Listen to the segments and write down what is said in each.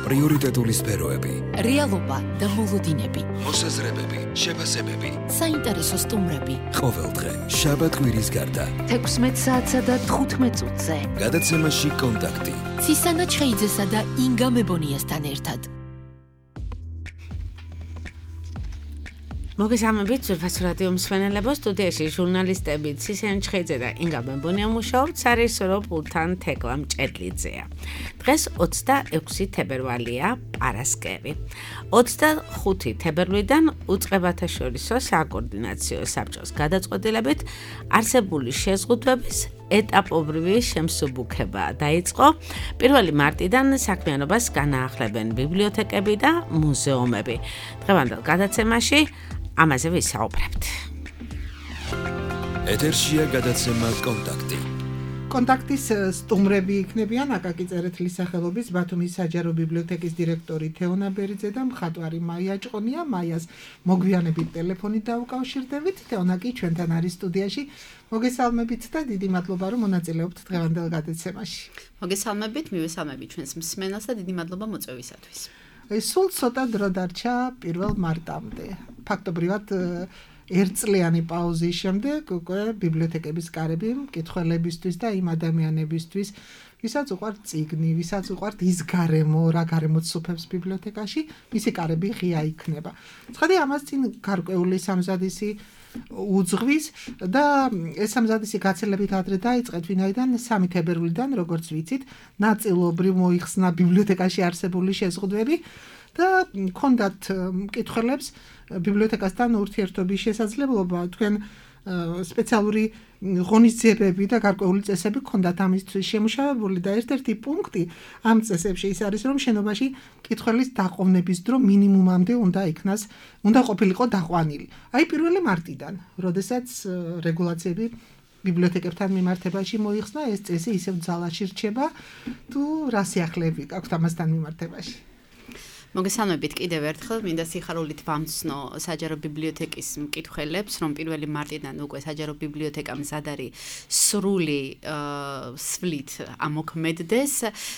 პრიორიტეტული სფეროები, რეალობა და მოლოდინები, მოსაზრებები, შეფასებები, საინტერესო სტუმრები. ყოველდღე შაბათ-კვირის გარდა 16 საათსა და 15 წუთზე. გადაცემაში კონტაქტი. ცისანა ჩხეიძესა და ინგა მებონიასთან ერთად. მოგესალმებით ძვირფას რადიო მსმენელებო, სტუდიაში ჟურნალისტები ცისანა ჩხეიძე და ინგა მებონია მუშაობთ სარეჟისორო პულტთან თეკლა მჭედლიძეა. დღეს 26 თებერვალია, პარასკევი. 25 თებერვლიდან უწყებათა შორისო საკოორდინაციო საბჭოს გადაწყვეტილებით არსებული შეზღუდვების ეტაპობრივი შემსუბუქება დაიწყო. 1 მარტიდან საქმიანობას განაახლებენ ბიბლიოთეკები და მუზეუმები. დღევანდელ გადაცემაში ამაზე ვისაუბრებთ. ეთერშია გადაცემა კონტაქტი. კონტაქტის სტუმრები იქნებიან აკაკი წერეთლის სახელობის ბათუმის საჯარო ბიბლიოთეკის დირექტორი თეონა ბერიძე და მხატვარი მაია ჭყონია. მაიას მოგვიანებით ტელეფონით დავუკავშირდებით. თეონა კი ჩვენთან არის სტუდიაში. მოგესალმებით და დიდი მადლობა რომ მონაწილეობთ დღევანდელ გადაცემაში. მოგესალმებით, მივესალმებით ჩვენს მსმენელს და დიდი მადლობა მოწვევისათვის. სულ ცოტა დრო დარჩა 1 მარტამდე. ფაქტობრივად ერთწლიანი პაუზის შემდეგ უკვე ბიბლიოთეკების კარები მკითხველებისთვის და იმ ადამიანებისთვის, ვისაც უყვართ წიგნი, ვისაც უყვართ ის გარემო, რა გარემოც სუფევს ბიბლიოთეკაში, მისი კარები ღია იქნება. ცხადი ამას წინ გარკვეული სამზადისი უძღვის და ეს სამზადისი გაცილებით ადრე დაიწყეთ, ვინაიდან 3 თებერვლიდან, როგორც ვიცით, ნაწილობრივ მოიხსნა ბიბლიოთეკაში არსებული შეზღუდვები და ჰქონდათ მკითხველებს ბიბლიოთეკასთან ურთიერთობის შესაძლებლობა. თქვენ სპეციალური ღონისძიებები და გარკვეული წესები ჰქონდათ ამისთვის შემუშავებული და ერთ-ერთი პუნქტი ამ წესებში ის არის, რომ შენობაში მკითხველის დაყოვნების დრო მინიმუმამდე უნდა ყოფილიყო დაყვანილი. აი 1 მარტიდან, როდესაც რეგულაციები ბიბლიოთეკებთან მიმართებაში მოიხსნა, ეს წესი ისევ ძალაში რჩება, თუ რა სიახლეები გაქვთ ამასთან მიმართებაში? მოგესალმებით კიდევ ერთხელ, მინდა სიხარულით ვამცნო საჯარო ბიბლიოთეკის მკითხველებს, რომ 1 მარტიდან უკვე საჯარო ბიბლიოთეკამ მზადარი სრული სვლით ამოქმედდეს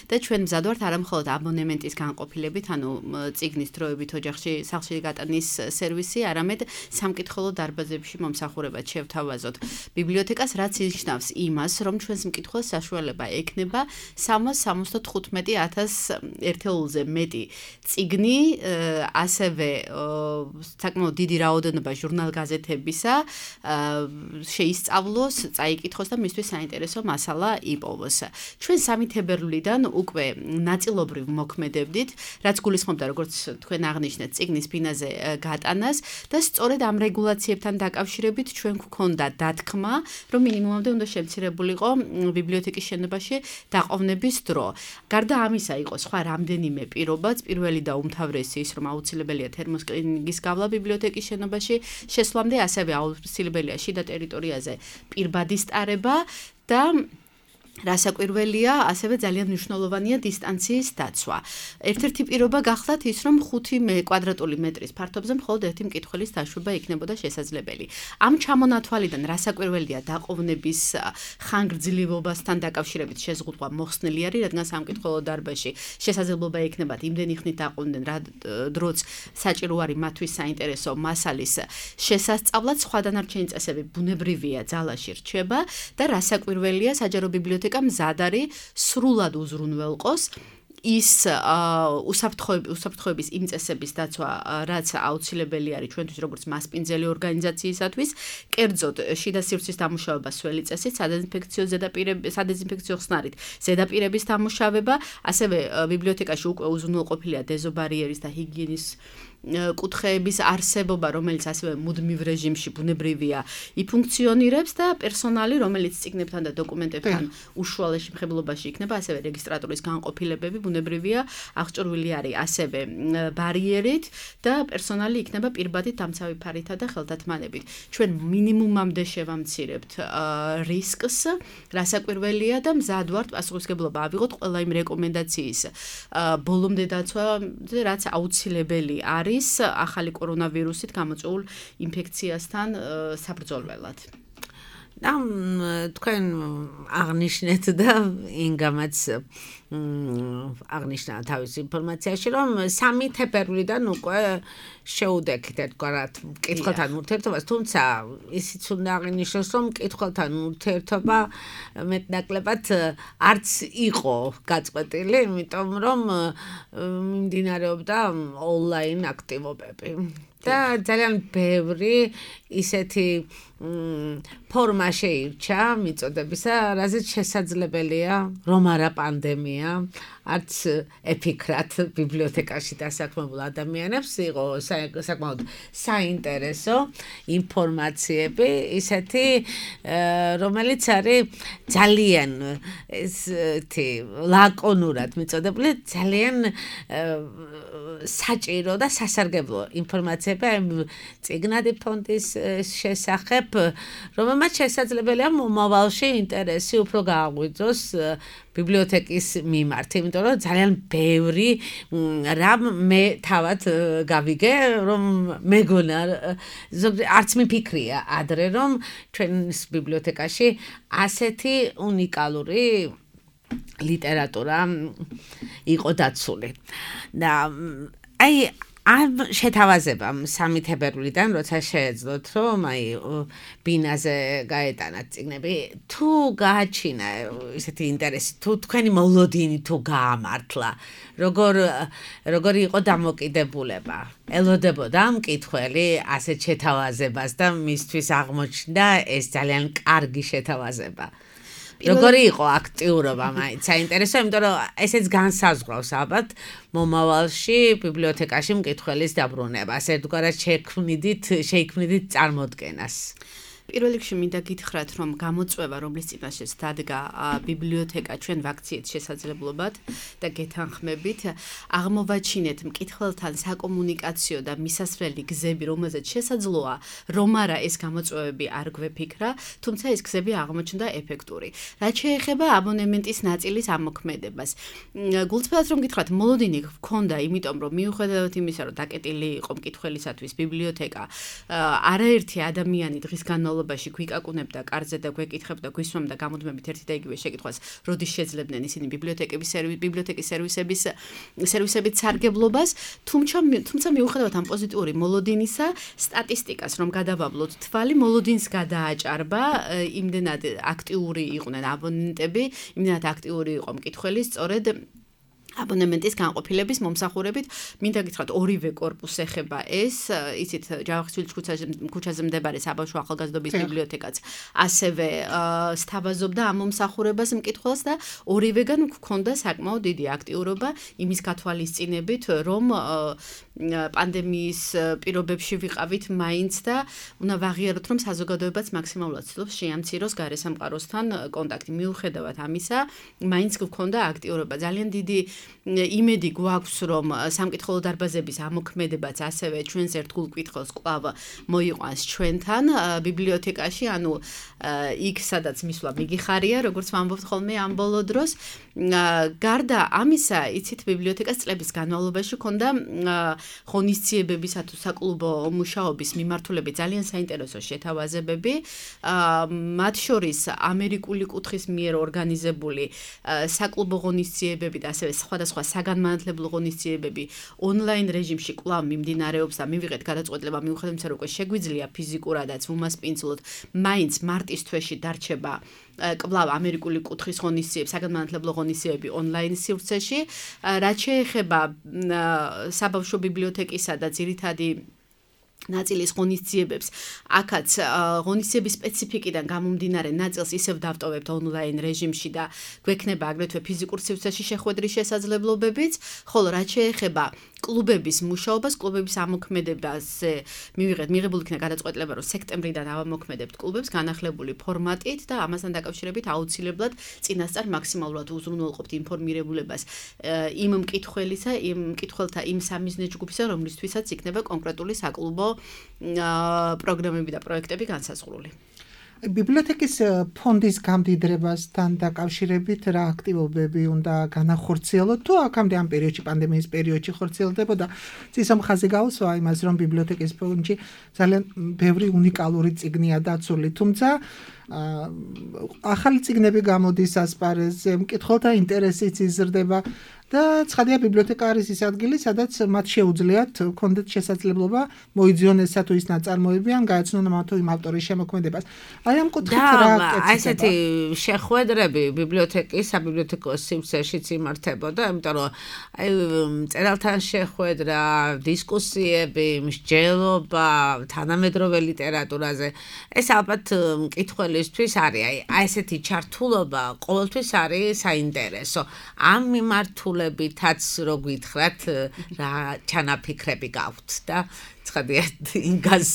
და ჩვენ მზად ვართ არა მხოლოდ აბონემენტის განყოფილებით, ანუ წიგნის დროებით ოჯახში სახლში გატანის სერვისი, არამედ სამკითხველო დარბაზებში მომსახურებად შევთავაზოთ ბიბლიოთეკას, რაც ნიშნავს იმას, რომ ჩვენს მკითხველს საშუალება ექნება 375,000 ერთეულზე მეტი წიგნი, ასევე საკმაოდ დიდი რაოდენობა ჟურნალ-გაზეთებისა შეისწავლოს, წაიკითხოს და მისთვის საინტერესო მასალა იპოვოს. ჩვენ 3 თებერვლიდან უკვე ნაწილობრივ მოქმედებდით, რაც გულისხმობდა, როგორც თქვენ აღნიშნეთ, წიგნის ფინაზე გატანას და სწორედ ამ რეგულაციებთან დაკავშირებით ჩვენ გვქონდა დათქმა, რომ მინიმუმამდე უნდა შემცირებულიყო ბიბლიოთეკის შენობაში დაყოვნების დრო. გარდა ამისა იყო სხვა რამდენიმე პირობაც, პირველი და უმთავრესი ის, რომ აუცილებელია თერმოსკრინინგის გავლა ბიბლიოთეკის შენობაში შესვლამდე, ასევე აუცილებელია შიდა ტერიტორიაზე პირბადის ტარება და რასაკვირველია, ასევე ძალიან მნიშვნელოვანია დისტანციის დაცვა. ერთ-ერთი პირობა გახლავთ ის, რომ 5 კვადრატული მეტრის ფართობზე მხოლოდ ერთი მკითხველის დაშვება იქნებოდა შესაძლებელი. ამ ჩამონათვალიდან რასაკვირველია დაყოვნების ხანგრძლივობასთან დაკავშირებით შეზღუდვა მოხსნილი არის, რადგან სამკითხველო დარბაზში შესაძლებლობა ექნებათ იმდენი ხნით დაყოვნდნენ, რა დროც საჭირო არის მათთვის საინტერესო მასალის შესასწავლად. სხვა დანარჩენი წესები ბუნებრივია, ძალაში რჩება და რასაკვირველია საჯარო ბიბლიოთეკა მზად არის სრულად უზრუნველყოს ის უსაფრთხოების იმ წესების დაცვა, რაც აუცილებელი არის ჩვენთვის როგორც მასპინძელი ორგანიზაციისათვის, კერძოდ შიდა სივრცის დამუშავება სველი წესით, სადეზინფექციო ხსნარით ზედაპირების დამუშავება, ასევე ბიბლიოთეკაში უკვე უზრუნველყოფილია დეზობარიერის და ჰიგიენის კუთხეების არსებობა, რომელიც ასევე მუდმივ რეჟიმში ბუნებრივია იფუნქციონირებს და პერსონალი, რომელიც წიგნებთან და დოკუმენტებთან უშუალო შემხებლობაში იქნება, ასევე რეგისტრატურის განყოფილებები ბუნებრივია აღჭურვილი არის ასევე ბარიერით და პერსონალი იქნება პირბადით დამცავი ფარითა და ხელთათმანებით. ჩვენ მინიმუმამდე შევამცირებთ რისკს, რასაკვირველია და მზად ვართ პასუხისმგებლობა ავიღოთ ყველა იმ რეკომენდაციის ბოლომდე დაცვა, რაც აუცილებელი არის ახალი კორონავირუსით გამოწვეულ ინფექციასთან საბრძოლველად. თქვენ აღნიშნეთ და ინგამაც აღნიშნა თავის ინფორმაციაში, რომ 3 თებერვლიდან უკვე შეუდექით ერთგვარად მკითხველთან ურთიერთობას, თუმცა ისიც უნდა აღინიშნოს, რომ მკითხველთან ურთიერთობა მეტნაკლებად არც იყო გაწყვეტილი, იმიტომ რომ მიმდინარეობდა ონლაინ აქტივობები. და ძალიან ბევრი ისეთი ფორმა შეირჩა მიწოდებისა, რაზეც შესაძლებელია რომ არა პანდემია, არც ეფიქრათ ბიბლიოთეკაში დასაქმებულ ადამიანებს იყო საკმაოდ საინტერესო ინფორმაციები, ისეთი რომელიც არის ძალიან ესეთი ლაკონურად მიწოდებული, ძალიან საჭირო და სასარგებლო ინფორმაციები წიგნადი ფონდის შესახებ, რომელმაც შესაძლებელია მომავალში ინტერესი უფრო გააღვიძოს ბიბლიოთეკის მიმართ, იმიტომ რომ ძალიან ბევრი რამ მე თავად გავიგე, რომ მეგონა არც მიფიქრია ადრე, რომ ჩვენს ბიბლიოთეკაში ასეთი უნიკალური ლიტერატურა იყო დაცული. და ამ შეთავაზებამ 3 თებერვლიდან, როცა შეეძლოთ, რომ ბინაზე გაეტანათ წიგნები, თუ გააჩინა ისეთი ინტერესი, თუ თქვენი მოლოდინი თუ გაამართლა, როგორი იყო დამოკიდებულება, ელოდებოდა მკითხველი ასეთ შეთავაზებას და მისთვის აღმოჩნდა ეს ძალიან კარგი შეთავაზება. როგორი იყო აქტიურობა, მაინც საინტერესო, იმიტომ რომ ესეც განსაზღვრავს ალბათ მომავალში ბიბლიოთეკაში მკითხველის დაბრუნებას, ერთგვარად შეიქმნიდით წარმოდგენას. პირველ რიგში მინდა გითხრათ, რომ გამოწვევა, რომლის წინაშეც დადგა ბიბლიოთეკა ჩვენ ვაქციით შესაძლებლობად და გეთანხმებით, აღმოვაჩინეთ მკითხველთან საკომუნიკაციო და მისასვლელი გზები, რომელზეც შესაძლოა, რომ არა ეს გამოწვევები არ გვეფიქრა, თუმცა ეს გზები აღმოჩნდა ეფექტური. რაც შეეხება აბონემენტის ნაწილის ამოქმედებას. გულწრფელად რომ გითხრათ, მოლოდინი გქონდა, იმიტომ რომ მიუხედავად იმისა, რომ დაკეტილი იყო მკითხველისათვის ბიბლიოთეკა, არაერთი ადამიანი დღის განმავლობაში გვიკაკუნებდა კარზე და გვეკითხებდა, გვისვამდა გამუდმებით ერთი და იგივე შეკითხვას, როდის შეძლებდნენ ისინი ბიბლიოთეკის სერვისებით სარგებლობას, თუმცა მიუხედავად ამ პოზიტიური მოლოდინისა, სტატისტიკას რომ გადავავლოთ თვალი, მოლოდინს გადააჭარბა, იმდენად აქტიური იყვნენ აბონენტები, იმდენად აქტიური იყო მკითხველი, სწორედ აბონემენტის განყოფილების მომსახურებით, მინდა გითხრათ, ორივე კორპუსს ეხება ეს, იცით, ჯავახიშვილის ქუჩაზე მდებარე საბავშვო ახალგაზრდობის ბიბლიოთეკაც ასევე სთავაზობდა ამ მომსახურებას მკითხველს და ორივეგან გვქონდა საკმაოდ დიდი აქტიურობა იმის გათვალისწინებით, რომ პანდემიის პირობებში ვიყავით მაინც და უნდა ვაღიაროთ, რომ საზოგადოებაც მაქსიმალურად ცდილობს შეამციროს გარესამყაროსთან კონტაქტი. მიუხედავად ამისა, მაინც გვქონდა აქტიურობა. ძალიან დიდი იმედი გვაქვს, რომ სამკითხველო დარბაზების ამოქმედებაც ასევე ჩვენს ერთგულ მკითხველს კვლავ მოიყვანს ჩვენთან ბიბლიოთეკაში, ანუ იქ სადაც მისვლა მიგიხარია, როგორც ვამბობთ ხოლმე ამ ბოლო დროს. გარდა ამისა, იცით, ბიბლიოთეკას წლების განმავლობაში ჰქონდა ღონისძიებებისა თუ საკლუბო მუშაობის მიმართულებით ძალიან საინტერესო შეთავაზებები. მათ შორის ამერიკული კუთხის მიერ ორგანიზებული საკლუბო ღონისძიებები და ასევე სხვადასხვა საგანმანათლებლო ღონისძიებები ონლაინ რეჟიმში კვლავ მიმდინარეობს და მივიღეთ გადაწყვეტილება, მიუხედავად იმისა, რომ შეგვიძლია ფიზიკურადაც უმასპინძლოთ, მაინც მარტის თვეში დარჩება კვლავ ამერიკული კუთხის ღონისძიებები, საგანმანათლებლო ღონისძიებები ონლაინ სივრცეში. რაც შეეხება საბავშვო ბიბლიოთეკისა და ძირითადი ნაწილის ღონისძიებებს, აქაც ღონისძიების სპეციფიკიდან გამომდინარე ნაწილს ისევ დავტოვებთ ონლაინ რეჟიმში და გვექნება აგრეთვე ფიზიკურ სივრცეში შეხვედრის შესაძლებლობებიც, ხოლო რაც შეეხება კლუბების მუშაობას, კლუბების ამოქმედებაზე მიღებული იქნა გადაწყვეტილება, რომ სექტემბრიდან ავამოქმედებთ კლუბებს განახლებული ფორმატით და ამასთან დაკავშირებით აუცილებლად წინასწარ მაქსიმალურად უზრუნველყოფთ ინფორმირებულებას იმ მკითხველისა, იმ მკითხველთა იმ სამიზნე ჯგუფისა, რომლისთვისაც იქნება კონკრეტული საკლუბო პროგრამები და პროექტები განსაზღვრული. ბიბლიოთეკის ფონდის გამდიდრებასთან დაკავშირებით რა აქტივობები უნდა განახორციელოთ თუ აქამდე ამ პერიოდში, პანდემიის პერიოდში ხორციელდებოდა? ცისამ ხაზი გავუსვა იმას, რომ ბიბლიოთეკის ფონდში ძალიან ბევრი უნიკალური წიგნია დაცული, თუმცა ახალი წიგნები გამოდის ასპარეზზე, მკითხველთა ინტერესიც იზრდება და ცხადია ბიბლიოთეკა არის ის ადგილი, სადაც მათ შეუძლიათ კონდეთ შესაძლებლობა მოიძიონ თუ ის ნაწარმოები ან გაეცნონ მათ იმ ავტორის შემოქმედებას. აი ამ კუთხით რა აი ესეთი შეხვედრები ბიბლიოთეკის საბიბლიოთეკო სივრცეშიც იმართებოდა, იმიტომ რომ აი მწერალთან შეხვედრა, დისკუსიები, მსჯელობა თანამედროვე ლიტერატურაზე ეს ალბათ მკითხველისთვის არის. აი ესეთი ჩართულობა ყოველთვის არის საინტერესო. ამ მიმართულებითაც რო გითხრათ რა ჩანაფიქრები გაქვთ და ცხადია ინგას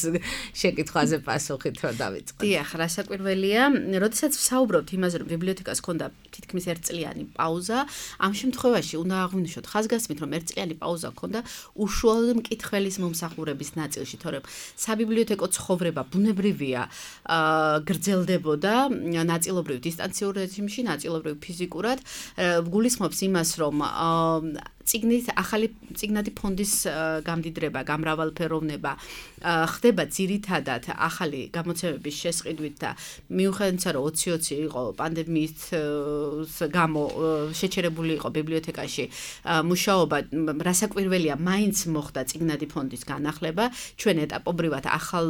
შეკითხვაზე პასუხით რომ დავიწყოთ. დიახ, რასაკვირველია, როდესაც ვსაუბრობთ იმაზე, რომ ბიბლიოთეკას ჰქონდა თითქმის ერთწლიანი პაუზა, ამ შემთხვევაში უნდა აღვნიშნოთ ხაზგასმით, რომ ერთწლიანი პაუზა ჰქონდა უშუალოდ მკითხველის მომსახურების ნაწილში, თორემ საბიბლიოთეკო ცხოვრება ბუნებრივია გრძელდებოდა ნაწილობრივ დისტანციურ რეჟიმში, ნაწილობრივ ფიზიკურად, გულისხმობს იმას, რომ ახალი წიგნადი ფონდის გამდიდრება, გამრავალფეროვნება ხდება ძირითადად ახალი გამოცემების შესყიდვით და მიუხედავად რომ 2020 იყო პანდემიის გამო შეჩერებული იყო ბიბლიოთეკაში მუშაობა, რასაკვირველია, მაინც მოხდა წიგნადი ფონდის განახლება, ჩვენ ეტაპობრივად ახალ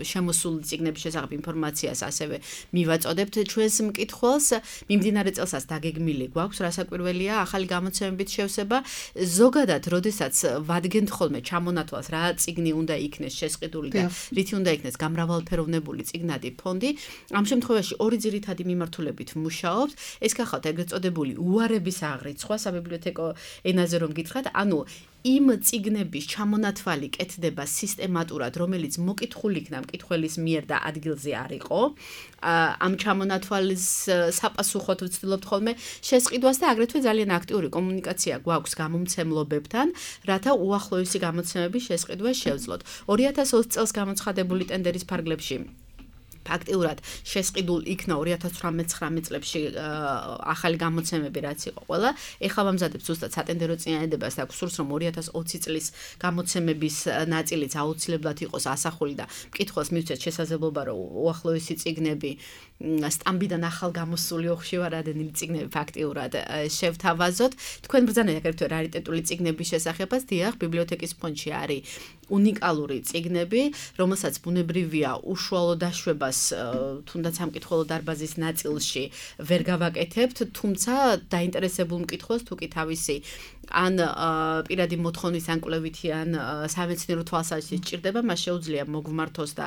შემოსულ წიგნების შესახებ ინფორმაციას ასევე მივაწოდებთ ჩვენს მკითხველს, მიმდინარე წელსაც დაგეგმილი გვაქვს, რასაკვირველია, ახალი გამოცემებით შევსება, ზოგადად, როდესაც ვადგენთ ხოლმე ჩამონათვალს რა წიგნი უნდა იქნეს შესყიდული და რითი უნდა იქნეს გამრავალფეროვნებული წიგნადი ფონდი, ამ შემთხვევაში ორი ძირითადი მიმართულებით მუშაობთ, ეს გახავთ ეგრეთ წოდებული უარების აღრიცხვა საბიბლიოთეკო ენაზე რომ გითხრათ, ანუ იმ წიგნების ჩამონათვალი კეთდება სისტემატურად, რომელიც მოკითხული იქნა მკითხველის მიერ და ადგილზე არ იყო. ამ ჩამონათვალის საპასუხოდ ვცდილობთ ხოლმე შესყიდვას და აგრეთვე ძალიან აქტიური კომუნიკაცია გვაქვს გამომცემლობებთან, რათა უახლოესი გამოცემების შესყიდვა შევძლოთ. 2020 წელს გამოცხადებული ტენდერის ფარგლებში ფაქტიურად შესყიდულ იქნა 2018-19 წლებში ახალი გამოცემები რაც იყო ყველა. ეხლა ვამზადებ ზუსტად სატენდერო წინადადებას და გსურს რომ 2020 წლის გამოცემების ნაწილიც აუცილებლად იყოს ასახული და მკითხველს მივცეთ შესაძლებლობა რომ უახლოესი წიგნები სტამბიდან ახალ გამოსული ოხშევარადენი წიგნები ფაქტიურად შევთავაზოთ. თქვენ ბრძანეთ აგრეთვე რარიტეტული წიგნების შესახებაც, დიახ, ბიბლიოთეკის ფონდში არის უნიკალური წიგნები, რომელსაც ბუნებრივია უშუალო დაშვებას თუნდაც სამკითხველო დარბაზის ნაწილში ვერ გავაკეთებთ, თუმცა დაინტერესებულ მკითხველს თუ კი თავისი ან პირადი მოთხოვნის ან კვლევითი ან სამეცნიერო თვალსაზრისით ჭირდება, მას შეუძლია მოგვმართოს და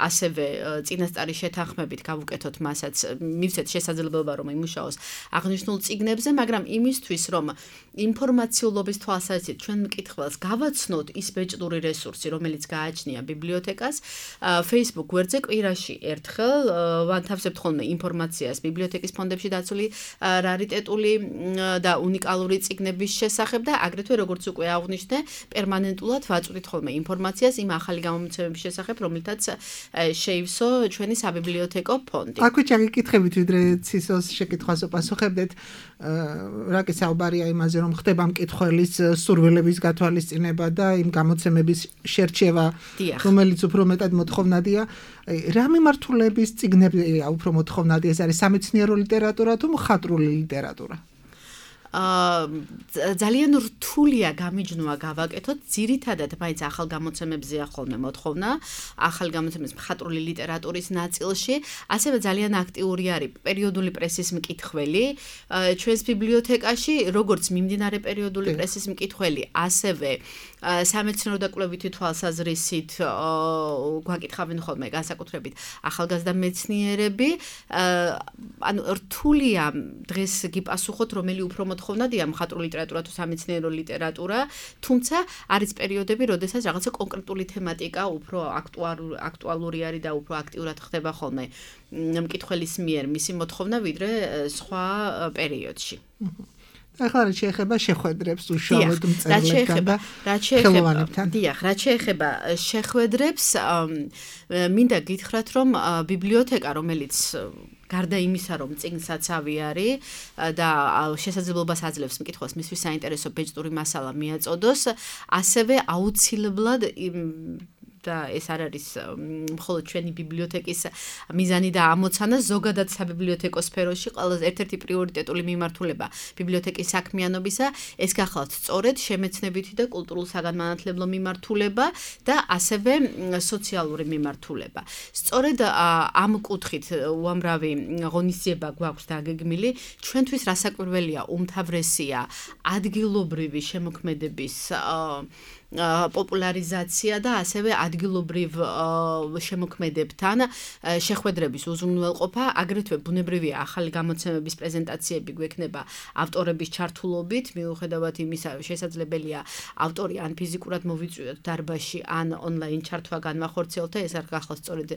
ასევე წინასწარი შეთანხმებით გავუკეთოთ მასაც, მივცეთ შესაძლებლობა რომ იმუშაოს აღნიშნულ წიგნებზე, მაგრამ იმისთვის რომ ინფორმაციულობის თვალსაზრისით ჩვენ მკითხველს გავაცნოთ ის ბეჭდური რესურსი, რომელიც გააჩნია ბიბლიოთეკას, Facebook გვერდზე კვირაში ერთხელ ვანთავსებთ ხოლმე ინფორმაციას ბიბლიოთეკის ფონდებში დაცული რარიტეტული და უნიკალური წიგნების შესახებ და აგრეთვე როგორც უკვე აღვნიშნე, პერმანენტულად ვაწვდით ხოლმე ინფორმაციას იმ ახალი გამომცემების შესახებ, რომელთაც შეივსო ჩვენი საბიბლიოთეკო ფონდი. აქვე ჩაგიკითხებით, ვიდრე ცისოს შეკითხვას პასუხებდეთ, რა კი საუბარია იმაზე, რომ ხდება მკითხველის სურვილების გათვალისწინება და იმ გამოცემების შერჩევა, რომელიც უფრო მეტად მოთხოვნადია. რა მიმართულების წიგნებია უფრო მოთხოვნადი? ეს არის სამეცნიერო ლიტერატურა თუ მხატვრული ლიტერატურა? ძალიან რთულია გამიჯნოვა გავაკეთოთ, ძირითადად მაინც ახალ გამოცემებზეა ხოლმე მოთხოვნა, ახალ გამოცემების მხატვრული ლიტერატურის ნაწილში, ასევე ძალიან აქტიური არის პერიოდული პრესის მკითხველი ჩვენს ბიბლიოთეკაში, როგორც მიმდინარე პერიოდული პრესის მკითხველი, ასევე სამეცნიერო და კვლევითი თვალსაზრისით გვაკითხავენ ხოლმე განსაკუთრებით ახალგაზრდა მეცნიერები, ანუ რთულია დღეს გიპასუხოთ, რომელი უფრო მოთხოვნადია მხატვრული ლიტერატურა თუ სამეცნიერო ლიტერატურა, თუმცა არის პერიოდები, როდესაც რაღაცა კონკრეტული თემატიკა უფრო აქტუალური არის და უფრო აქტიურად ხდება ხოლმე მკითხველის მიერ მისი მოთხოვნა, ვიდრე სხვა პერიოდში. ახლა რა შეეხება შეხვედრებს უშუალოდ მწერლებთან და ხელოვანებთან? დიახ, რა შეეხება შეხვედრებს, მინდა გითხრათ, რომ ბიბლიოთეკა, რომელიც გარდა იმისა, რომ წიგნსაცავი არის და შესაძლებლობას აძლევს მკითხველს მისთვის საინტერესო ბეჭდური მასალა მიაწოდოს, ასევე აუცილებლად და ეს არ არის მხოლოდ ჩვენი ბიბლიოთეკის მიზანი და ამოცანა, ზოგადად საბიბლიოთეკო სფეროში ყველაზე ერთ-ერთი პრიორიტეტული მიმართულება ბიბლიოთეკის საქმიანობისა ეს გახლავთ სწორედ შემეცნებითი და კულტურულ საგანმანათლებლო მიმართულება და ასევე სოციალური მიმართულება. სწორედ ამ კუთხით უამრავი ღონისძიება გვაქვს დაგეგმილი. ჩვენთვის რასაკვირველია, უმთავრესია ადგილობრივი შემოქმედების პოპულარიზაცია და ასევე ადგილობრივ შემოქმედებთან შეხვედრების უზრუნველყოფა, აგრეთვე ბუნებრივია ახალი გამოცემების პრეზენტაციები გვექნება ავტორების ჩართულობით, მიუხედავად იმისა, შესაძლებელია ავტორი ან ფიზიკურად მოვიწვიოთ დარბაზში, ან ონლაინ ჩართვა განვახორციელოთ და ეს არ გახლავს სწორედ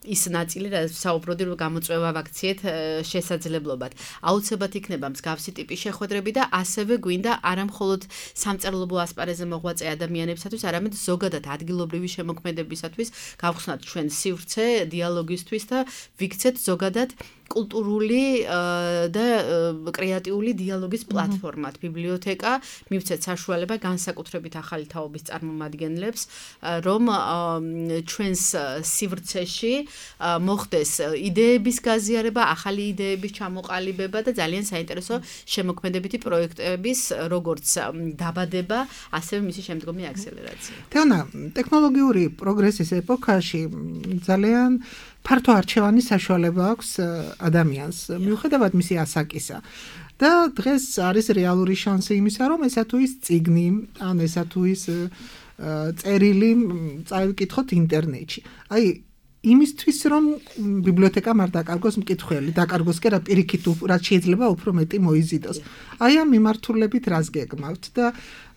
ის ნაწილი, რაც საუბრობდი, რომ გამოწვევა ვაქციეთ შესაძლებლობად. აუცილებლად იქნება მსგავსი ტიპის შეხვედრები და ასევე გვინდა არა მხოლოდ სამწერლობო ასპარეზზე მოღვაწე ადამიანებისათვის, არამედ ზოგადად ადგილობრივი შემოქმედებისათვის გავხსნათ ჩვენ სივრცე დიალოგისთვის და ვიქცეთ ზოგადად კულტურული და კრეატიული დიალოგის პლატფორმად ბიბლიოთეკა, მივცეთ საშუალება განსაკუთრებით ახალი თაობის წარმომადგენლებს, რომ ჩვენს სივრცეში მოხდეს იდეების გაზიარება, ახალი იდეების ჩამოყალიბება და ძალიან საინტერესო შემოქმედებითი პროექტების როგორც დაბადება, ასევე მისი შემდგომი აქსელერაცია. თეონა, ტექნოლოგიური პროგრესის ეპოქაში ძალიან ფართო არჩევანი საშუალება აქვს ადამიანს, მიუხედავად მისი ასაკისა. და დღეს არის რეალური შანსი იმისა, რომ ესა თუ ის წიგნი, ან ესა თუ ის წერილი წავიკითხოთ ინტერნეტში. აი იმისთვის რომ ბიბლიოთეკამ არ დაკარგოს მკითხველი, დაკარგოს კი რა პირიქით რაც შეიძლება უფრო მეტი მოიზიდოს. აი ამ მიმართულებით რას გეგმავთ და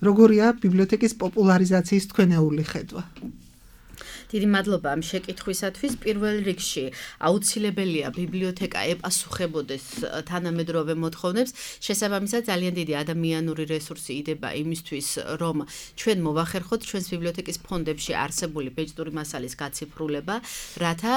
როგორია ბიბლიოთეკის პოპულარიზაციის თქვენეული ხედვა? დიდი მადლობა ამ შეკითხვისათვის. პირველ რიგში აუცილებელია ბიბლიოთეკა ეპასუხებოდეს თანამედროვე მოთხოვნებს. შესაბამისად ძალიან დიდი ადამიანური რესურსი იდება იმისთვის, რომ ჩვენ მოვახერხოთ ჩვენს ბიბლიოთეკის ფონდებში არსებული ბეჭდური მასალის გაციფრულება, რათა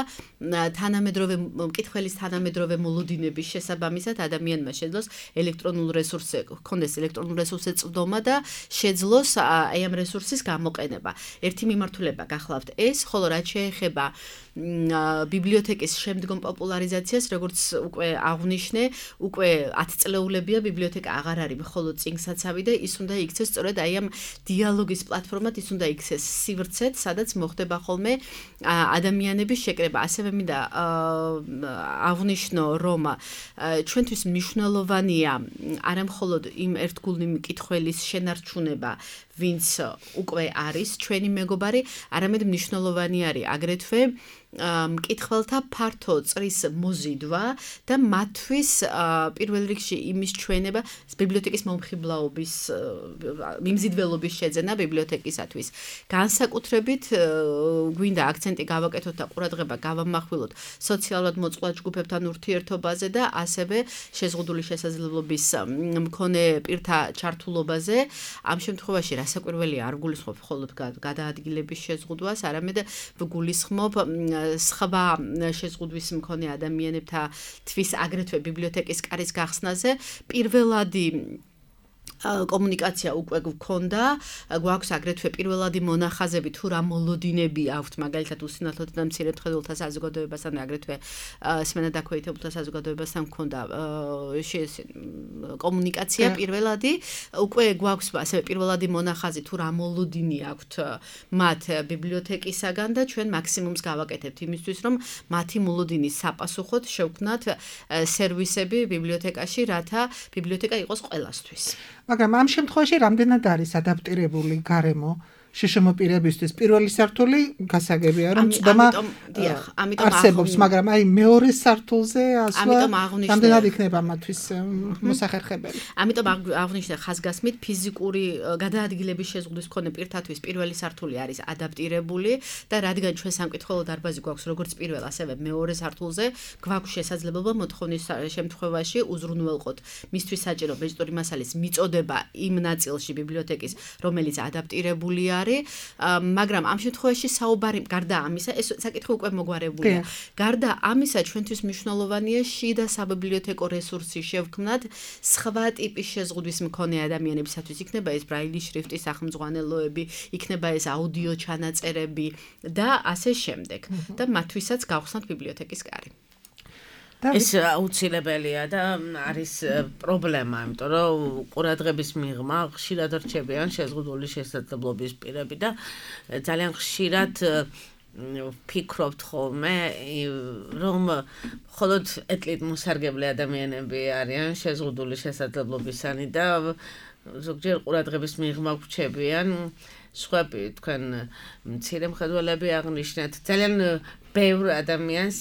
თანამედროვე მკითხველის თანამედროვე მოლოდინების შესაბამისად ადამიანმა შეძლოს ელექტრონულ რესურსზე, ჰქონდეს ელექტრონულ რესურსზე წვდომა და შეძლოს აი ამ რესურსის გამოყენება. ერთი მიმართულება გახლავთ ეს, ხოლო რაც შეეხება ბიბლიოთეკის შემდგომ პოპულარიზაციას, როგორც უკვე აღვნიშნე, უკვე 10 წლეულებია ბიბლიოთეკა აღარ არის მხოლოდ წიგნსაცავი და ის უნდა იქცეს სწორედ აი ამ დიალოგის პლატფორმად, ის უნდა იქცეს სივრცეთ, სადაც მოხდება ხოლმე ადამიანების შეკრება. ასევე მინდა აღვნიშნო, რომ ჩვენთვის მნიშვნელოვანია არა მხოლოდ იმ ერთგული მკითხველის შენარჩუნება, ვინც უკვე არის ჩვენი მეგობარი, არამედ მნიშვნელოვანი არის აგრეთვე მკითხველთა ფართო წრის მოზიდვა და მათთვის პირველ რიგში იმის ჩვენება ბიბლიოთეკის მომხიბლაობის მიმზიდველობის შეძენა ბიბლიოთეკისათვის. განსაკუთრებით გვინდა აქცენტი გავაკეთოთ და ყურადღება გავამახვილოთ სოციალურად მოწყვლად ჯგუფებთან ურთიერთობაზე და ასევე შეზღუდული შესაძლებლობის მქონე პირთა ჩართულობაზე. ამ შემთხვევაში რასაკვირველია არ გულისხმობ მხოლოდ გადაადგილების შეზღუდვას, არამედ გულისხმობ სხვა შეზღუდვის მქონე ადამიანებთათვის აგრეთვე ბიბლიოთეკის კარის გახსნაზე. პირველადი კომუნიკაცია უკვე გქონდა, გვაქვს აგრეთვე პირველადი მონახაზები თუ რა მოლოდინები აქვთ, მაგალითად უსინათლოთა და მცირედმხედველთა საზოგადოებასთან, აგრეთვე სმენადაქვეითებულთა საზოგადოებასთან გქონდა კომუნიკაცია პირველადი, უკვე გვაქვს ასევე პირველადი მონახაზი თუ რა მოლოდინი აქვთ მათ ბიბლიოთეკისაგან და ჩვენ მაქსიმუმს გავაკეთებთ იმისთვის, რომ მათი მოლოდინის საპასუხოდ შევქმნათ სერვისები ბიბლიოთეკაში, რათა ბიბლიოთეკა იყოს ყველასთვის. მაგრამ ამ შემთხვევაში რამდენად არის ადაპტირებული გარემო შშმ პირებისთვის? პირველი სართული გასაგებია, რომ წვდომა არსებობს, მაგრამ აი მეორე სართულზე ასვლა რამდენად იქნება მათთვის მოსახერხებელი? ამიტომ აღვნიშნე ხაზგასმით, ფიზიკური გადაადგილების შეზღუდვის მქონე პირთათვის პირველი სართული არის ადაპტირებული და რადგან ჩვენ სამკითხველო დარბაზი გვაქვს როგორც პირველ, ასევე მეორე სართულზე, გვაქვს შესაძლებლობა მოთხოვნის შემთხვევაში უზრუნველყოთ მისთვის საჭირო ბეჭდური მასალის მიწოდება იმ ნაწილში ბიბლიოთეკის, რომელიც ადაპტირებულია არის, მაგრამ ამ შემთხვევაში საუბარი გარდა ამისა, ეს საკითხი უკვე მოგვარებულია. გარდა ამისა, ჩვენთვის მნიშვნელოვანია შიდა საბიბლიოთეკო რესურსი შევქმნათ სხვა ტიპის შეზღუდვის მქონე ადამიანებისათვის. იქნება ეს ბრაილის შრიფტის სახელმძღვანელოები, იქნება ეს აუდიო ჩანაწერები და ასე შემდეგ. და მათთვისაც გავხსნათ ბიბლიოთეკის კარი. ეს აუცილებელია და არის პრობლემა, იმიტომ რომ ყურადღების მიღმა ხშირად რჩებიან შეზღუდული შესაძლებლობის პირები და ძალიან ხშირად ფიქრობთ ხოლმე, რომ მხოლოდ ეტლით მოსარგებლე ადამიანები არიან შეზღუდული შესაძლებლობისანი და ზოგჯერ ყურადღების მიღმა გრჩებიან სხვები, თქვენ მცირე მხედველები აღნიშნეთ, ძალიან ბევრ ადამიანს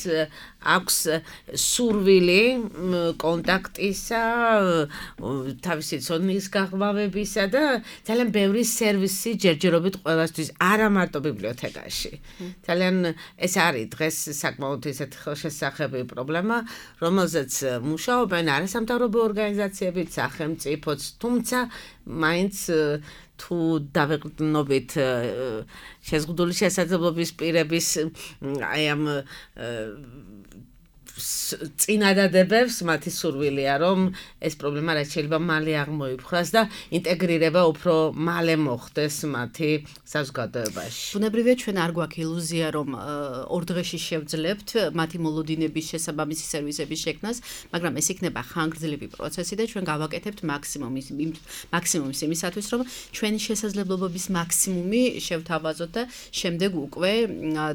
აქვს სურვილი კონტაქტისა, თავისი ცოდნის გაღრმავებისა და ძალიან ბევრი სერვისი ჯერჯერობით ყველასთვის, არა მარტო ბიბლიოთეკაში. ძალიან ეს არის დღეს საკმაოდ ისეთი ხელშესახები პრობლემა, რომელზეც მუშაობენ არასამთავრობო ორგანიზაციებიც, სახელმწიფოც, თუმცა მაინც თუ დავეყრდნობით შეზღუდული შესაძლებლობის პირების აი ამ წინადადებებს მათი სურვილია, რომ ეს პრობლემა რაც შეიძლება მალე აღმოიფხვრას და ინტეგრირება უფრო მალე მოხდეს მათი საზოგადოებაში. ბუნებრივია ჩვენ არ გვაქვს ილუზია, რომ ორ დღეში შევძლებთ მათი მოლოდინების შესაბამისი სერვისების შექმნას, მაგრამ ეს იქნება ხანგრძლივი პროცესი და ჩვენ გავაკეთებთ მაქსიმუმის იმისათვის, რომ ჩვენი შესაძლებლობების მაქსიმუმი შევთავაზოთ და შემდეგ უკვე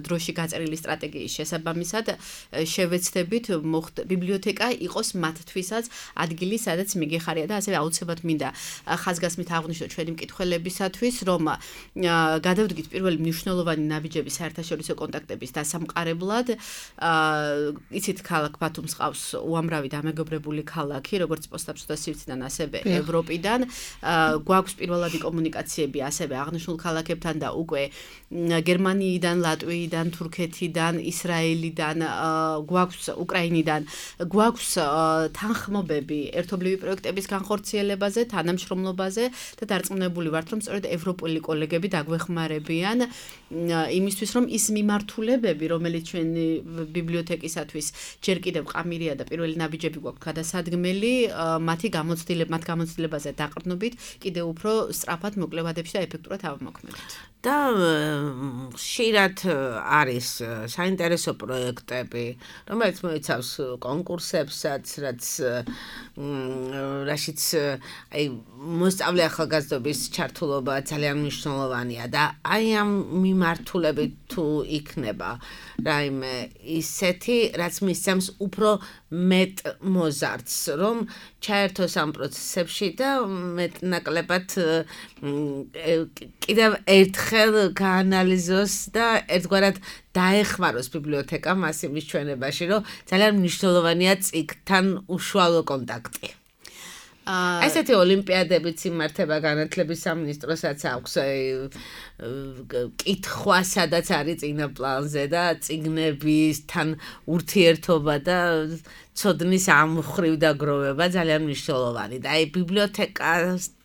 დროში გაწერილი სტრატეგიის შესაბამისად შევეცდებით ბიბლიოთეკა იყოს მათთვისაც ადგილი, სადაც მიგეხარია და ასევე აუცილებლად მინდა ხაზგასმით აღვნიშნოთ ჩვენი მკითხველებისათვის, რომ გადავდგით პირველი მნიშვნელოვანი ნაბიჯები საერთაშორისო კონტაქტების დასამყარებლად. იცით, ქალაქ ბათუმს ყავს უამრავი დამეგობრებული ქალაქი, როგორც პოსტაბჭოთა სივრციდან, ასევე ევროპიდან. გვაქვს პირველადი კომუნიკაციები ასევე აღნიშნულ ქალაქებთან და უკვე გერმანიიდან, ლატვიიდან, თურქეთიდან, ისრაელიდან, გვაქვს უკრაინიდან, გვაქვს თანხმობები ერთობლივი პროექტების განხორციელებაზე, თანამშრომლობაზე და დარწმუნებული ვართ, რომ სწორედ ევროპული კოლეგები დაგვეხმარებიან იმისთვის, რომ ის მიმართულებები, რომელიც ჩვენი ბიბლიოთეკისათვის ჯერ კიდევ ყამირია და პირველი ნაბიჯები გვაქვს გადასადგმელი, მათ გამოცდილებაზე დაყრდნობით კიდევ უფრო სწრაფად მოკლევადებში და ეფექტურად ავმოქმედოთ. და ხშირად არის საინტერესო პროექტები, რომელიც მოიცავს კონკურსებსაც, რაშიც აი მოსწავლე ახალგაზრდობის ჩართულობა ძალიან მნიშვნელოვანია და აი ამ მიმართულებით თუ იქნება რაიმე ისეთი, რაც მისცემს უფრო მეტ მოზარდს, რომ ჩაერთოს ამ პროცესებში და მეტნაკლებად კიდევ ერთხელ გაანალიზოს და ერთგვარად დაეხმაროს ბიბლიოთეკა მას იმის ჩვენებაში, რომ ძალიან მნიშვნელოვანია წიგნთან უშუალო კონტაქტი. ესეთი ოლიმპიადებიც იმართება განათლების სამინისტროსაც აქვს კითხვა, სადაც არის წინა პლანზე და წიგნებისთან ურთიერთობა და ცოდნის ამ მხრივ დაგროვება ძალიან მნიშვნელოვანი და აი ბიბლიოთეკას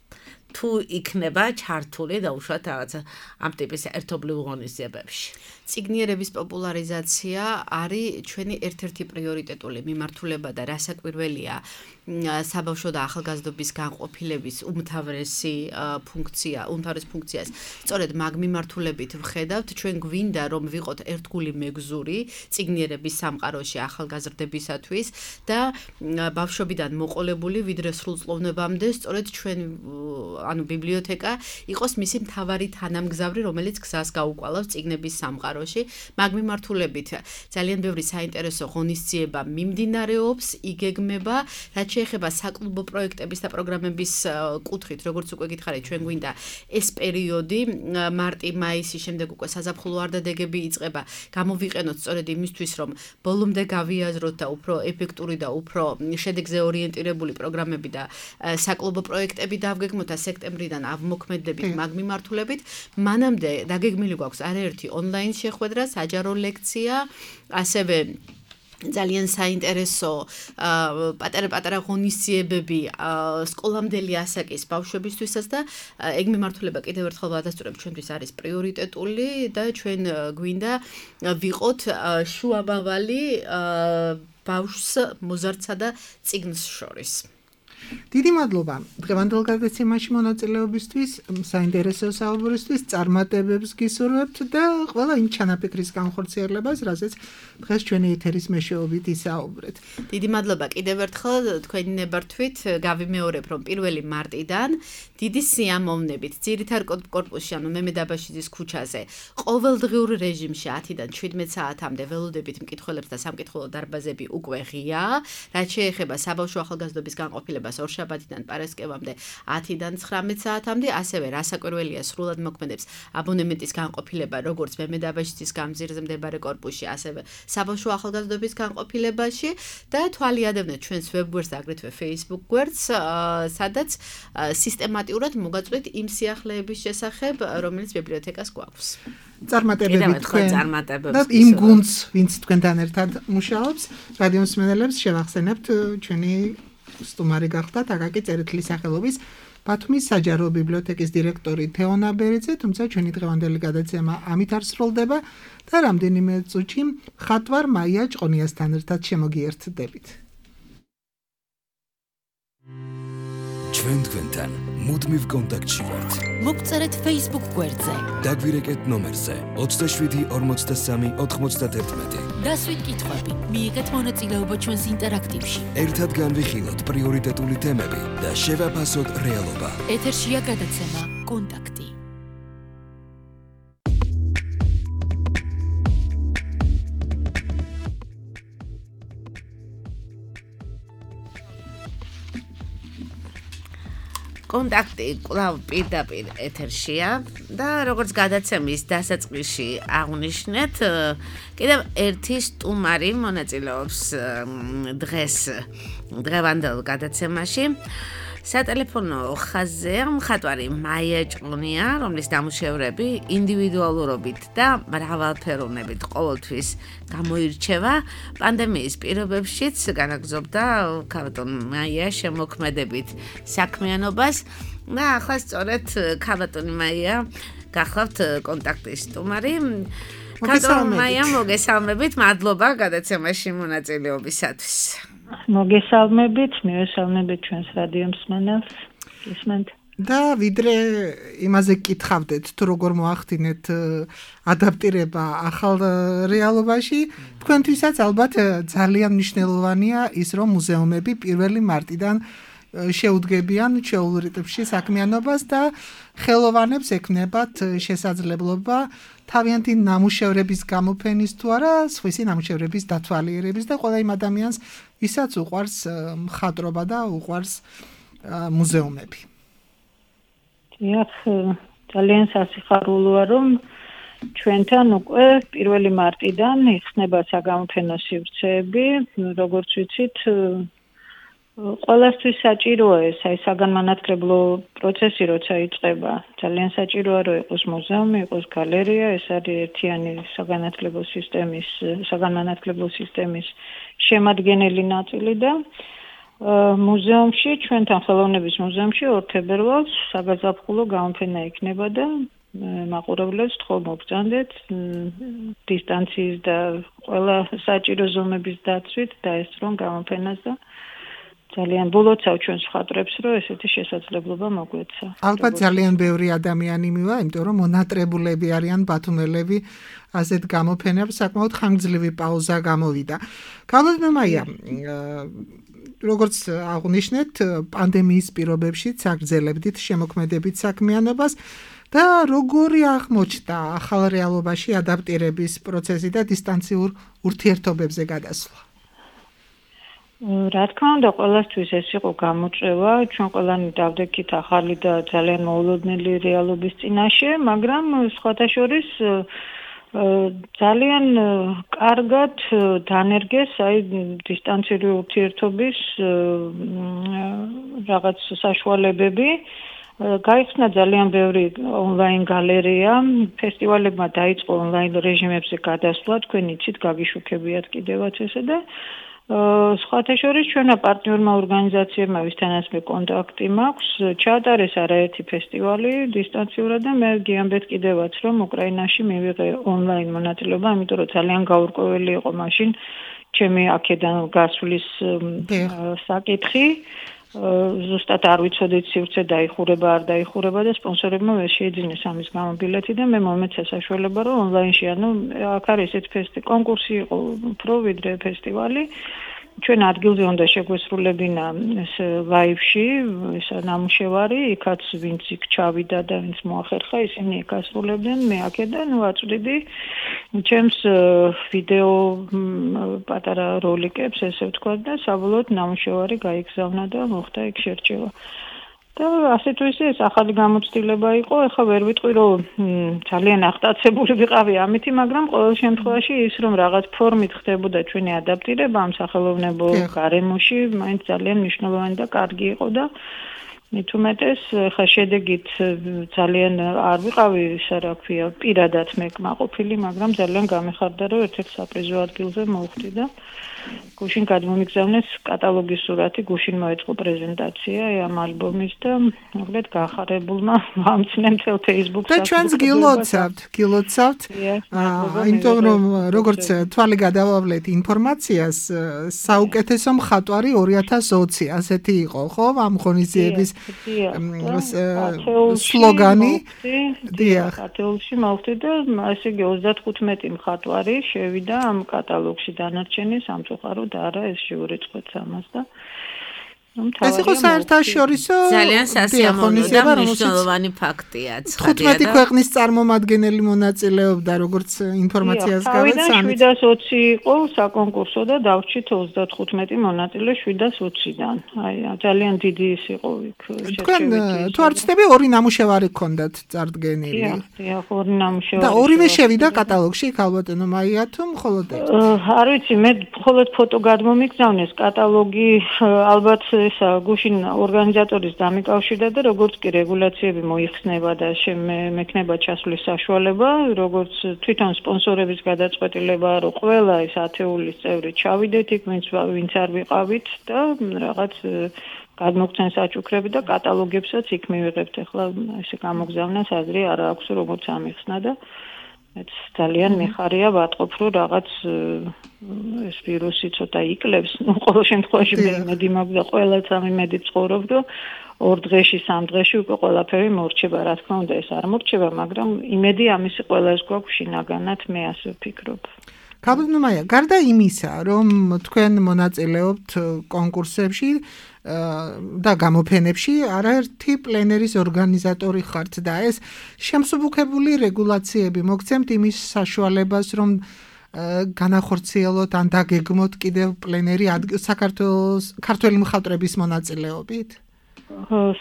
თუ იქნება ჩართული და უშუალოდ რაღაცა ამ ტიპის ერთობლივ ღონისძიებებში. წიგნიერების პოპულარიზაცია არის ჩვენი ერთ-ერთი პრიორიტეტული მიმართულება და რასაკვირველია საბავშვო და ახალგაზრდობის განყოფილების უმთავრეს ფუნქციას სწორედ მაგ მიმართულებით ვხედავთ. ჩვენ გვინდა რომ ვიყოთ ერთგული მეგზური წიგნიერების სამყაროში ახალგაზრდებისათვის და ბავშვობიდან მოყოლებული ვიდრე სრულწლოვნებამდე სწორედ ჩვენ ანუ ბიბლიოთეკა იყოს მისი მთავარი თანამგზავრი, რომელიც გზას გაუკვალავს წიგნების სამყაროში. მაგ მიმართულებით ძალიან ბევრი საინტერესო ღონისძიება მიმდინარეობს, იგეგმება, რაც შეეხება საკლუბო პროექტების და პროგრამების კუთხით, როგორც უკვე გითხარით, ჩვენ გვინდა ეს პერიოდი მარტი-მაისი, შემდეგ უკვე საზაფხულო არდადეგები იწყება, გამოვიყენოთ სწორედ იმისთვის, რომ ბოლომდე გავიაზროთ და უფრო ეფექტური და უფრო შედეგზე ორიენტირებული პროგრამები და საკლუბო პროექტები დავგეგმოთ და სექტემბრიდან ავმოქმედებით მაგ მიმართულებით. მანამდე დაგეგმილი გვაქვს არაერთი ონლაინ შეხვედრა, საჯარო ლექცია, ასევე ძალიან საინტერესო პატარა ღონისძიებები სკოლამდელი ასაკის ბავშვებისთვისაც და ეგ მიმართულება კიდევ ერთხელ ვადასტურებ ჩვენთვის არის პრიორიტეტული და ჩვენ გვინდა ვიყოთ შუამავალი ბავშვს მოზარდსა და წიგნს შორის. დიდი მადლობა დღევანდელ გადაცემაში მონაწილეობისთვის, საინტერესო საუბრისთვის, წარმატებებს გისურვებთ და ყველა იმ ჩანაფიქრის განხორციელებას, რასაც დღეს ჩვენი ეთერის მეშვეობით ისაუბრეთ. დიდი მადლობა კიდევ ერთხელ თქვენი ნებართვით გავიმეორებ, რომ 1 მარტიდან დიდი სიამოვნებით ძირითარ კორპუსში, ანუ მემედაბაშიძის ქუჩაზე, ყოველდღიურ რეჟიმში 10-დან 17 საათამდე ველოდებით მკითხველებს და სამკითხველო დარბაზები უკვე ღია, რაც შეეხება საბავშვო ახალგაზრდობის განყოფილებას ორშაბათიდან პარასკევამდე 10-დან 19 საათამდე, ასევე რასაკვირველია სრულად მოქმედებს აბონემენტის განყოფილება როგორც მემედაბაშიძის გამზირზე მდებარე კორპუსში, ასევე საბავშვო ახალგაზრდობის განყოფილებაში და თვალიადევნეთ ჩვენს ვებგვერდს და აგრეთვე Facebook გვერდს, სადაც სისტემატურად მოგაწვით იმ სიახლეების შესახებ, რომელიც ბიბლიოთეკას გვაქვს. წარმატებები თქვენ და იმ გუნდს, ვინც თქვენთან ერთად მუშაობს, რადიო მსმენელებს შევახსენებთ ჩვენი სტუმარი გახდათ აკაკი წერეთლის სახელობის ბათუმის საჯარო ბიბლიოთეკის დირექტორი თეონა ბერიძე, თუმცა ჩვენი დღევანდელი გადაცემა ამით არ სრულდება და რამდენიმე წუთში მხატვარ მაია ჭყონიასთან ერთად შემოგიერთდებით. ჩვენ თქვენთან მუდმივ კონტაქტში ვართ. მოგწერეთ Facebook გვერდზე. დაგვირეკეთ ნომერზე 27 43 91. დასვით კითხვები, მიიღეთ მონაწილეობა ჩვენს ინტერაქტივში. ერთად განვიხილოთ პრიორიტეტული თემები და შევაფასოთ რეალობა. ეთერშია გადაცემა კონტაქტი. კონტაქტი კვლავ პირდაპირ ეთერშია და როგორც გადაცემის დასაწყისში აღნიშნეთ, კიდევ ერთი სტუმარი მონაწილეობს დღევანდელ გადაცემაში. სატელეფონო ხაზზე მხატვარი მაია ჭყონია, რომლის ნამუშევრები ინდივიდუალურობით და მრავალფეროვნებით ყოველთვის გამოირჩევა. პანდემიის პირობებშიც განაგრძობდა ქალბატონ მაია შემოქმედებით საქმიანობას და ახლა სწორედ ქალბატონი მაია გახლავთ კონტაქტის სტუმარი. ქალბატონ მაია, მოგესალმებით, მადლობა გადაცემაში მონაწილეობისათვის. მოგესალმებით, მივესალმებით ჩვენს რადიო მსმენელს. გისმენთ. და ვიდრე იმაზე გკითხავდეთ, თუ როგორ მოახდინეთ ადაპტირება ახალ რეალობაში, თქვენთვისაც ალბათ ძალიან მნიშვნელოვანია ის, რომ მუზეუმები 1 მარტიდან შეუდგებიან ჩვეულ რიტმში საქმიანობას და ხელოვანებს ექნებათ შესაძლებლობა თავიანთი ნამუშევრების გამოფენის თუ არა, სხვისი ნამუშევრების დათვალიერების და ყველა იმ ადამიანს, ვისაც უყვარს მხატვრობა და უყვარს მუზეუმები. დიახ, ძალიან სასიხარულოა, რომ ჩვენთან უკვე 1 მარტიდან იხსნება საგამოფენო სივრცეები, როგორც ვიცით, ყველასთვის საჭიროა ეს საგანმანათლებლო პროცესი, როცა იწყება. ძალიან საჭიროა, რომ იყოს მუზეუმი, იყოს გალერეა, ეს არის ერთიანი საგანმანათლებლო სისტემის შემადგენელი ნაწილი და მუზეუმში, ჩვენთან ხელოვნების მუზეუმში 2 თებერვალს საგაზაფხულო გამოფენა იქნება და მაყურებლებს თხოვ მოგწანდეთ დისტანციის და ყველა საჭირო ზომების დაცვით დაესწრონ გამოფენას და ძალიან ბოლოცავ ჩვენს მხატვრებს, რომ ესეთი შესაძლებლობა მოგვეცა. ალბათ ძალიან ბევრი ადამიანი მივა, იმიტომ რომ მონატრებულები არიან ბათუმელები ასეთ გამოფენებს, საკმაოდ ხანგრძლივი პაუზა გამოვიდა. ქალბატონ მაია, როგორც აღნიშნეთ, პანდემიის პირობებშიც აგრძელებდით შემოქმედებით საქმიანობას და როგორი აღმოჩნდა ახალ რეალობაში ადაპტირების პროცესი და დისტანციურ ურთიერთობებზე გადასვლა? რა თქმა უნდა, ყველასთვის ეს იყო გამოწვევა, ჩვენ ყველანი დავდექით ახალი და ძალიან მოულოდნელი რეალობის წინაშე, მაგრამ სხვათა შორის ძალიან კარგად დანერგეს დისტანციური ურთიერთობის რაღაც საშუალებები, გაიხსნა ძალიან ბევრი ონლაინ გალერეა, ფესტივალებმა დაიწყო ონლაინ რეჟიმებზე გადასვლა, თქვენ იცით, გაგიშუქებიათ კიდევაც ესე და სხვათა შორის ჩვენმა პარტნიორმა ორგანიზაციებმა ვისთანაც მე კონტაქტი მაქვს, ჩაატარეს არაერთი ფესტივალი დისტანციურად და მე გიამბეთ კიდევაც რომ უკრაინაში მივიღე ონლაინ მონაწილეობა, იმიტომ რომ ძალიან გაურკვეველი იყო მაშინ ჩემი აქედან გასვლის საკითხი. ზუსტად არ ვიცოდით სივრცე დაიხურება არ დაიხურება და სპონსორებმა ვერ შეიძინეს ამის გამო ბილეთი და მე მომეცა საშუალება რომ ონლაინში აქ არის ესეთ კონკურსი იყო უფრო ვიდრე ფესტივალი ჩვენ ადგილზე უნდა შეგვესრულებინა ეს ლაივში ეს ნამუშევარი იქაც ვინც იქ ჩავიდა და ვინც მოახერხა ისინი იქ ასრულებდნენ მე აქედან ვაწვდიდი ჩემს ვიდეო პატარა როლიკებს ესე ვთქვა და საბოლოოდ ნამუშევარი გაიგზავნა და მოხდა იქ შერჩევა და ასე თუ ისე ეს ახალი გამოცდილება იყო ეხლა ვერ ვიტყვი რომ ძალიან აღტაცებული ვიყავი ამითი მაგრამ ყოველ შემთხვევაში ის რომ რაღაც ფორმით ხდებოდა ჩვენი ადაპტირება ამ სახელოვნებო გარემოში მაინც ძალიან მნიშვნელოვანი და კარგი იყო და მით უმეტეს ხა შედეგით ძალიან არ ვიყავი ისა რა ქვია პირადად მე კმაყოფილი მაგრამ ძალიან გამეხარდა რომ ერთ-ერთ საპრიზო ადგილზე მოვხდი და გუშინ გადმომიგზავნეს კატალოგის სურათი გუშინ მოეწყო პრეზენტაცია ამ ალბომის და მოკლედ გახარებულმა ვამცნე მთელ Facebook-ს და ჩვენს გილოცავთ იმიტომ რომ როგორც თვალი გადავავლეთ ინფორმაციას საუკეთესო მხატვარი 2020 ასეთი იყო ხო ამ ღონისძიების სლოგანი დიახ ათეულში მოვხდი და ასე იგი 35 მხატვარი შევიდა ამ კატალოგში დანარჩენი სამწუხაროდ არა ეს შეურიცხეთ ამას და ეს იყო საერთაშორისო ძალიან სასიამოვნო და მნიშვნელოვანი ფაქტია. 15 ქვეყნის წარმომადგენელი მონაწილეობდა, როგორც ინფორმაციას გავეცანით. 720 იყო საკონკურსო და დავრჩით 35 მონაწილე 720-დან. აი, ძალიან დიდი ის იყო იქ. თქვენ თუ არ ვცდები ორი ნამუშევარი გქონდათ წარდგენილი. დიახ, ორი ნამუშევარი. და ორივე შევიდა კატალოგში, ალბათო მაია თუ მხოლოდ ერთი? არ ვიცი, მე მხოლოდ ფოტო გადმომიგზავნეს კატალოგი ალბათ ესა გუშინ ორგანიზატორის დამიკავშირდა და როგორც კი რეგულაციები მოიხსნება და მექნება ჩასვლის საშუალება, როგორც თვითონ სპონსორების გადაწყვეტილება, რომ ყველა ეს ათეულის წევრი ჩავიდეთ იქ, ვინც არ ვიყავით და რაღაც გადმოგცენ საჩუქრები და კატალოგებსაც იქ მივიღებთ. ახლა ესე გამოგზავნას აზრი არ აქვს როგორც ამიხსნა და მეც ძალიან მიხარია ვატყობ რომ რაღაც ეს ვირუსი ცოტა იკლებს. ნუ ყოველ შემთხვევაში მედი მაქვს და ყველაც ამიმედი ცხოვრობ რომ 2 დღეში 3 დღეში უკვე ყველაფერი მორჩება. რა თქმა უნდა ეს არ მორჩება, მაგრამ იმედი ამისი ყველას გვაქვს შინაგანად მე ასე ვფიქრობ. კაბლნუმაია, გარდა იმისა, რომ თქვენ მონაწილეობთ კონკურსებში და გამოფენებში, არაერთი პლენერის ორგანიზატორი ხართ და ეს შემსუბუქებული რეგულაციები მოგცემთ იმის საშუალებას, რომ განახორციელოთ ან დაგეგმოთ კიდევ პლენერი საქართველოს ქართველი მხატვრების მონაწილეობით?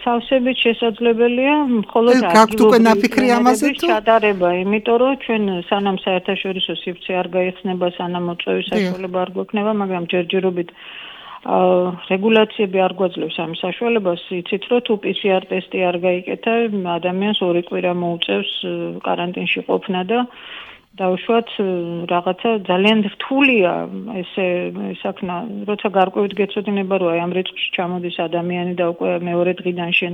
სავსებით შესაძლებელია მხოლოდ ადგილობრივი ჩატარება, იმიტომ რომ ჩვენ სანამ საერთაშორისო სივრცე არ გაიხსნება, სანამ მოწვევის საშუალება არ გვექნება, მაგრამ ჯერჯერობით რეგულაციები არ გვაძლევს ამ საშუალებას. იცით რომ თუ PCR ტესტი არ გაიკეთა, ადამიანს 2 კვირა მოუწევს კარანტინში ყოფნა და დაუშვათ რაღაცა ძალიან რთულია ესე საქმე, როცა გარკვევით გეცოდინება რომ აი ამ რიცხვში ჩამოდის ადამიანი და უკვე მეორე დღიდან შენ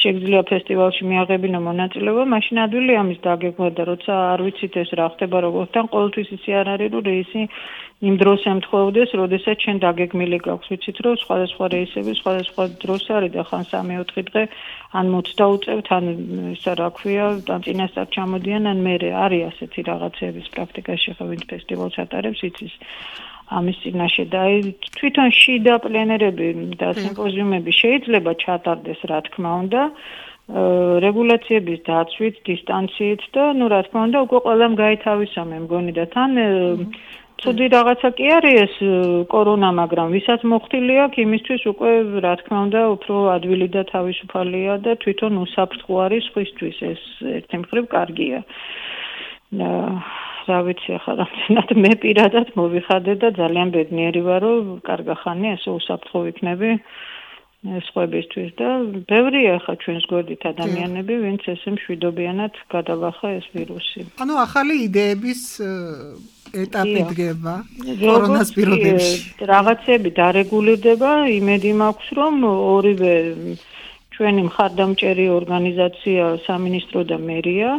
შეგძლია ფესტივალში მიაღებინო მონაწილეობა, მაშინ ადვილი ამის დაგეგმვა და როცა არ ვიცით ეს რა ხდება როგორთან, ყოველთვის ისი არ არის რომ რეისი იმ დროს ემთხოვდეს, როდესაც შენ დაგეგმილი გაქვს. ვიცით რომ სხვადასხვა რეისები სხვადასხვა დროს არის და ხან 3-4 დღე ან მოწდაუწევთ, ან ისა რა ქვია, ან წინასწარ ჩამოდიან, ან მერე არის ასეთი რაღაცების პრაქტიკაში შეხებით ფესტივალს ატარებს, იცის ამის წინაშე და თვითონ შიდა პლენერები და სიმპოზიუმები შეიძლება ჩატარდეს, რა თქმა უნდა, რეგულაციების დაცვით, დისტანციით და ნუ რა თქმა უნდა, უკვე ყველამ გაითავისა მე მგონი და თან ცუდი რაღაცა კი არის ეს კორონა, მაგრამ ვისაც მოხდილი აქვს, იმისთვის უკვე რა თქმა უნდა, უფრო ადვილი და თავისუფალია და თვითონ უსაფრთხო არის სხვისთვის, ეს ერთი მხრივ კარგია. რა ვიცი ახლა რამდენად მე პირადად მოვიხადე და ძალიან ბედნიერი ვარ, რომ კარგა ხანია, ესე უსაფრთხო ვიქნები. სხვებისთვის და ბევრია ხა ჩვენს გვერდით ადამიანები, ვინც ესე მშვიდობიანად გადალახა ეს ვირუსი. ანუ ახალი იდეების ეტაპი დგება კორონას პირობებში. რაღაცები დარეგულირდება, იმედი მაქვს, რომ ორივე ჩვენი მხარდამჭერი ორგანიზაცია, სამინისტრო და მერია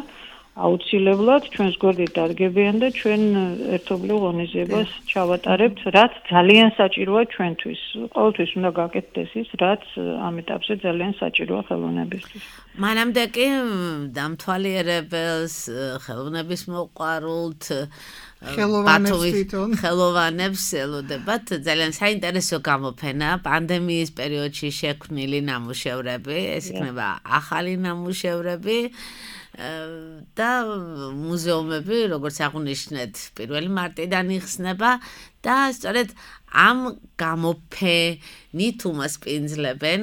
აუცილებლად ჩვენს გვერდით დარგებიან და ჩვენ ერთობლივ ღონისძიებას ჩავატარებთ, რაც ძალიან საჭიროა ჩვენთვის. ყოველთვის უნდა გაკეთდეს ის, რაც ამ ეტაპზე ძალიან საჭიროა ხელოვნებისთვის. მანამდე კი დამთვალიერებელს, ხელოვნების მოყვარულთ ხელოვნებს ელოდებათ ძალიან საინტერესო გამოფენა პანდემიის პერიოდში შექმნილი ნამუშევრები, ეს იქნება ახალი ნამუშევრები და მუზეუმები, როგორც აღნიშნეთ, 1 მარტიდან იხსნება და სწორედ ამ გამოფენით უმასპინძლებენ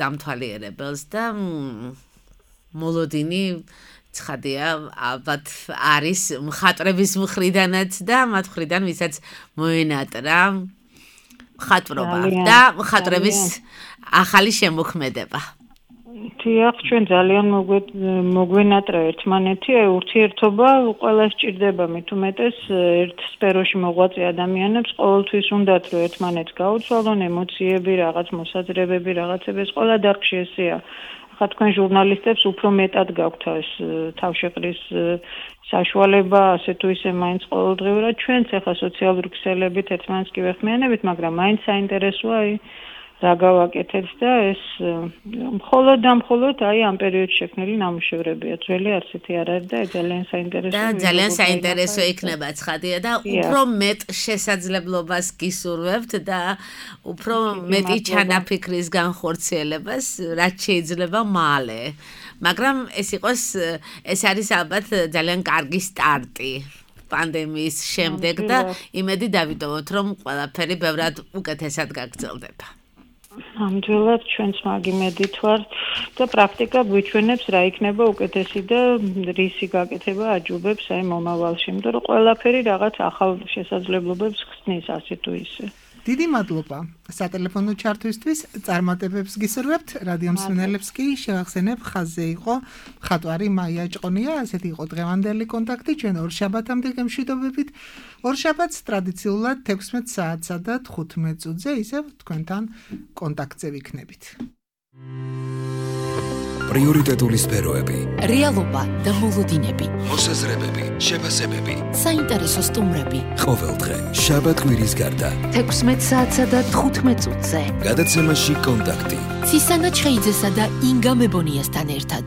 დამთვალიერებელს და მოლოდინი ცხადია, ალბათ არის მხატვრების მხრიდანაც და მათ მხრიდან ვისაც მოენატრა მხატვრობა და მხატვრების ახალი შემოქმედება. თიახ, ჩვენ ძალიან მოგვენატრა ერთმანეთი, ურთიერთობა ყველას სჭირდება, მით უმეტეს ერთ სფეროში მოღვაწე ადამიანებს ყოველთვის უნდათ რომ ერთმანეთს გაუცვალონ ემოციები, რაღაც მოსაზრებები, რაღაცები, ეს ყველა დარგში ესეა. ხა თქვენ ჟურნალისტებს უფრო მეტად გაქვთ ეს თავშეყრის საშუალება, ასე თუ ისე მაინც ყოველდღიურად ჩვენც ახლა სოციალური ქსელებით ერთმანეთს კი ვეხმიანებით, მაგრამ მაინც საინტერესოა რა გავაკეთეთ და ეს მხოლოდ აი ამ პერიოდში შექმნილი ნამუშევრებია. ძველი არცეთი არ არის და ძალიან საინტერესოა. და ძალიან საინტერესო იქნება ცხადია და უფრო მეტ შესაძლებლობას გისურვებთ და უფრო მეტი ჩანაფიქრის განხორციელებას, რაც შეიძლება მალე. მაგრამ ეს არის ალბათ ძალიან კარგი სტარტი პანდემიის შემდეგ და იმედი დავიტოვოთ, რომ ყველაფერი ბევრად უკეთესად გაგრძელდება. ამჯერად ჩვენც მაგ იმედით ვართ და პრაქტიკა გვიჩვენებს რა იქნება უკეთესი და რისი გაკეთება აჯობებს აი მომავალში, იმიტომ რომ ყველაფერი რაღაც ახალ შესაძლებლობებს ხსნის ასე თუ ისე. დიდი მადლობა სატელეფონო ჩართვისთვის, წარმატებებს გისურვებთ. რადიო მსმენელებს კი შევახსენებ, ხაზზე იყო მხატვარი მაია ჭყონია, ასეთი იყო დღევანდელი კონტაქტი ჩვენ ორშაბათამდე გემშვიდობებით. ორშაბათს ტრადიციულად 16 საათსა და 15 წუთზე ისევ თქვენთან კონტაქტზე ვიქნებით. პრიორიტეტული სფეროები, რეალობა და მოლოდინები, მოსაზრებები, შეფასებები, საინტერესო სტუმრები. ყოველდღე შაბათ-კვირის გარდა 16 საათსა და 15 წუთზე. გადაცემაში კონტაქტი. ცისანა ჩხეიძესა და ინგა მებონიასთან ერთად.